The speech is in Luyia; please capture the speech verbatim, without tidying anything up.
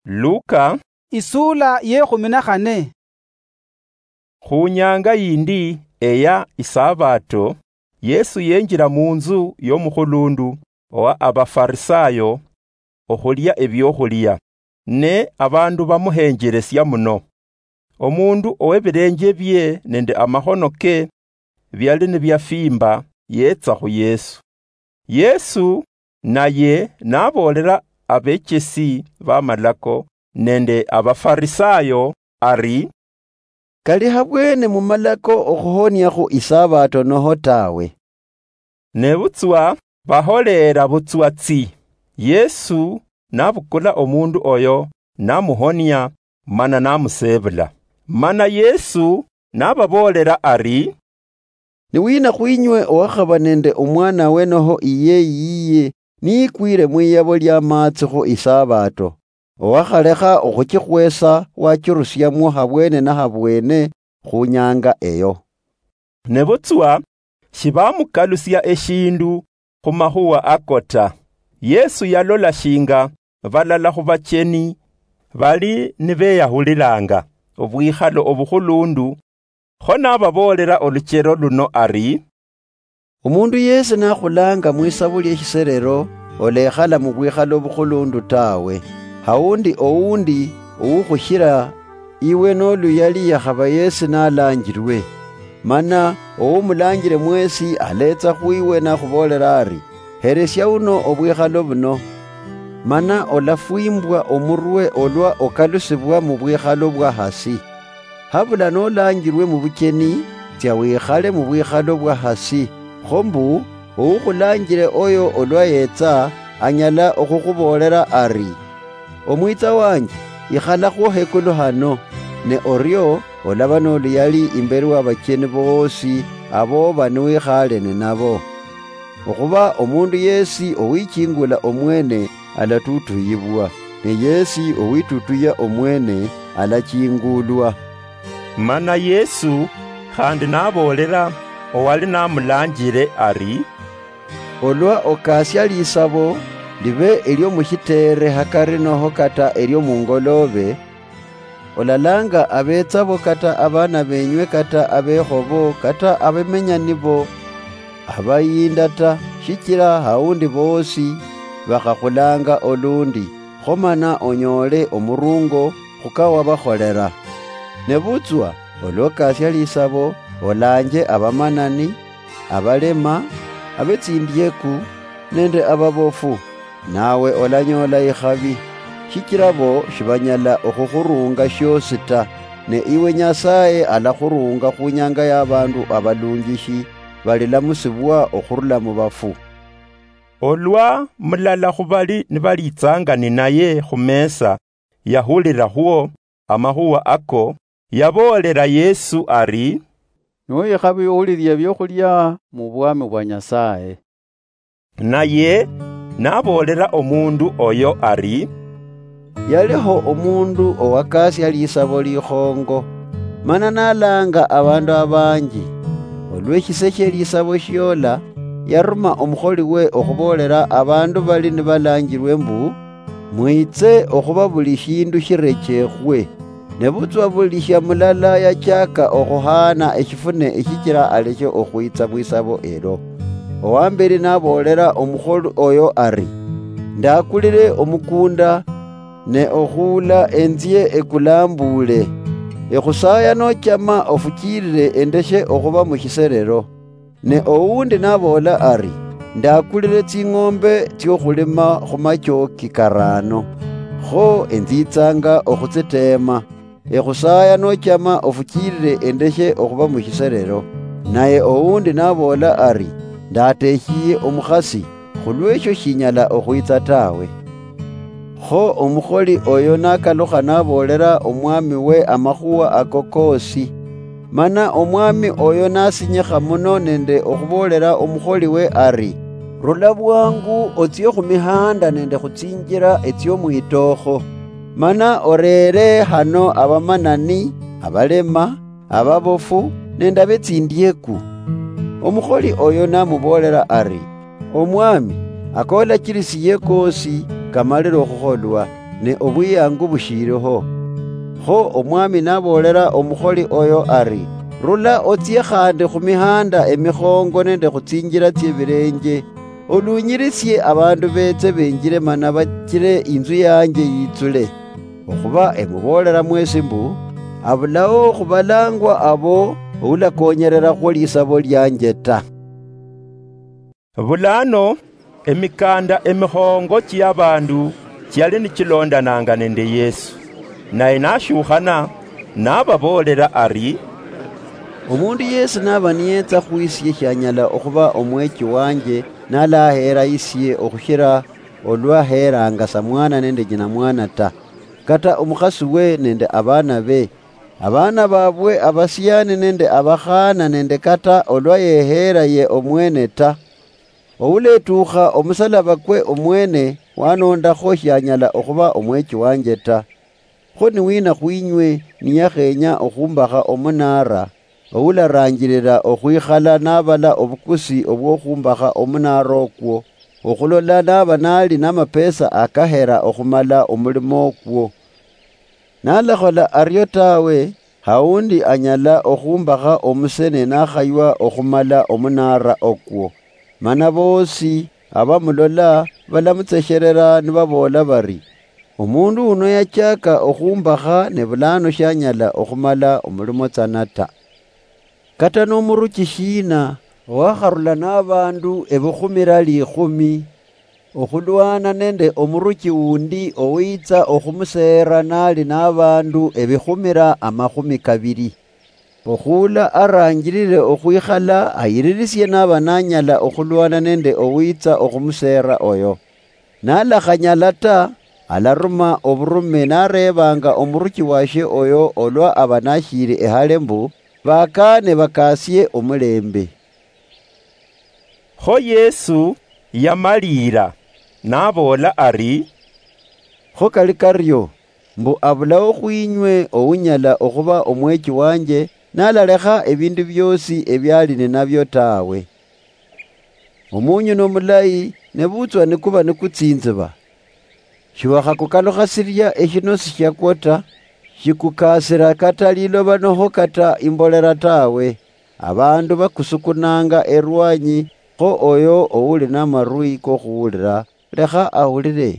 Luka, isula yekhumi na khane. Khu nyanga yindi eya Isabato, Yesu yenjira munzu yomukhulundu owa Abafarisayo okhulia ebiokhulia, ne abandu bamuhenjeresia muno. Omundu owebilenjebie nende amakhonoke biali nibiafimba yetsa khu Yesu. Yesu naye naboolera abechesi b'amalako nende Abafarisayo ari, "Kali habwene mumalako okhuhoniakhu Isabato noho tawe?" Nebutswa baholeera butswa tsi. Yesu nabukula omundu oyo, namuhonia, mana namusebula. Mana Yesu nababoolera ari, "Ni wina khwinywe owakhaba nende omwanawe noho iyeyi yiye niyikwire mwiyabo lia maatsi khu Isabato, owakhalekha okhuchikhwesa wachirusiamwo habwene na habwene khu nyanga eyo?" Nebutswa shibamukalusia eshindu khu makhuwa ako ta. Yesu yalola shinga balala khu bacheni bali nibeyahulilanga obwikhalo obukhulundu, kho nababoolera oluchero luno ari, "Omundu yesi nakhulanga mwisabu lieshiserero, olekhala mubwikhalo obukhulundu tawe, haundi oundi oukhushira iwe noluyali yakhaba yesi nalanjirwe. Mana oumulanjire mwesi aletsa khwiwe nakhuboolera ari, 'Heresia uno obwikhalo buno,' mana olafwimbwa omurwe olwa okalusibwa mubwikhalo bwa hasi. Habula nolanjirwe mubucheni, tsia wikhale mubwikhalo bwa hasi, kho mbu oukhulanjire oyo olwa yetsa anyala okhukhuboolera ari, 'Omwitsa wanje, ikhalakhwo hekulu hano,' ne orio olaba noluyali imberi wa bacheni boosi aboba niwikhale ninabo. Okhuba omundu yesi owichingula omwene alatutuyibwa, ne yesi owitutuya omwene alachingulwa." Mana Yesu khandi naboolera owali namulanjire ari, "Olwa okasia lisabo, libe eliomushiteere hakari noho kata eliomungoloobe, olalanga abetsabo kata abaana benywe kata abekhobo kata abemenya nibo abayinda ta, shichira haundi boosi bakhakhulanga olundi, kho mana onyoole omurungo khukawabakholera. Nebutswa olwa okasia lisabo, olanje abamanani, abalema, abetsindieku, nende ababofu, nawe olanyoola ikhabi, shichira bo shibanyala okhukhurunga shiosi ta, ne iwe Nyasaye alakhurunga khunyanga ya bandu abalunjishi balilamusibwa okhurula mubafu." Olwa mulala khubali nibalitsanga ninaye khumesa yahulirakhwo amakhuwa ako, yaboolera Yesu ari, "Niwikhabi ohulilia ebiokhulia mubwami bwa Nyasaye." Naye naboolera omundu oyo ari, "Yaliho omundu owakasia lisabo likhongo, mana nalanga abandu abanji. Olweshise shie lisabo shiola, yaruma omukholiwe okhuboolera abandu bali nibalanjirwe mbu, 'Mwitse okhuba buli shindu shirechekhwe.' Nebutswa buli shia mulala yachaka okhuhaana eshifune eshichira aleshe okhwitsa mwisabo elo. Owamberi naboolera omukholi oyo ari, 'Ndakulire omukunda, ne okhuula enzye ekulambuule. Ekhusaya nochama ofuchirire endeshe okhuba mushiserero.' Ne owundi naboola ari, 'Ndakulire tsing'ombe tsiokhulima khumachooki karaano, kho enzitsanga okhutsiteema. Ekhusaya nochama ofuchirire endeshe okhuba mushiserero.' Naye owundi naboola ari, 'Ndateshiye omukhasi, khulwesho shinyala okhwitsa tawe.' Kho omukholi oyo nakalukha naboolera omwamiwe amakhuwa ako koosi. Mana omwami oyo nasinyikha muno nende okhuboolera omukholiwe ari, 'Rula bwangu otsie khumihanda nende khutsinjira etsiomuitookho, mana oreere hano abamanani, abalema, ababofu, nende abetsindieku.' Omukholi oyo namuboolera ari, 'Omwami, akolachirisiye koosi kamalire okhukholwa. ne obwiyangu bushiiliho. Kho Omwami naboolera omukholi oyo ari, 'Rula otsie khandi khu mihaanda emikhongo nende khu tsinjila tsie bilenje, olunyirisie abandu beetse benjile mana bachile inzu yanje yitsule. Okhuba emuboolera mwesi mbu, abulao khubalangwa abo oulakonyererakhwo lisabo lianje ta.' Bulano emikaanda emikhongo chiabandu chiali nichilondananga nende Yesu, naye nashukhana, nababoolera ari, "Omundu yesi naba niyetsa khwisie shianyala okhuba omwechi wanje nalaheera isie okhushira olwa heeranga samwana nende nyinamwana ta, kata omukhasiwe nende abaanabe, abaana babwe abasiani nende abakhaana nende kata olwa yeheera ye omwene ta. Ouletukha omusalabakwe omwene wanondakho shianyala okhuba omwechi wanje ta. Kho niwina khwinywe niyakhenya okhumbakha omunaara, oularanjilila okhwikhala nabala obukusi obwokhumbakha omunaara okwo, okhulola naba nali namapesa akahera okhumala omulimo okwo? Nalakhola ario tawe, haundi anyala okhumbakha omuse ne nakhaywa okhumala omunaara okwo. Mana boosi abamulola balamutsesherera nibaboola bari, 'Omundu uno yachaaka okhumbakha ne bulano shanyala okhumala omulimo tsana ta.' Kata nomuruchi shiina owakharula nabandu ebikhumira likhumi, okhulwana nende omuruchi wundi owitsa okhumuseera nali nabandu ebikhumira amakhumi kabili? Okhuula aranjilile okhwikhala ayiririsie naba nanyala okhulwana nende owitsa okhumuseera oyo. Nalakhanyala ta, alaruma oburume nareebanga omuruchi washe oyo olwa aba nashiili ehale mbu, 'Bakaane bakaasie omulembe.'" Kho Yesu yamaliira, naboola ari, "Kho kali kario, mbu abulao khwinywe ounyala okhuba omwechi wanje, nalalekha ebindu biosi ebiali ninabio tawe. Omunyu nomulayi, nebutswa nikuba nikutsinziba, shiwakhakukalukha siria eshinosi shiakwo ta, shikukasira kata liloba noho kata imbolera tawe. Abandu bakusukunanga erwanyi, kho oyo ouli namarwi kokhuwulira, lekha ahulire."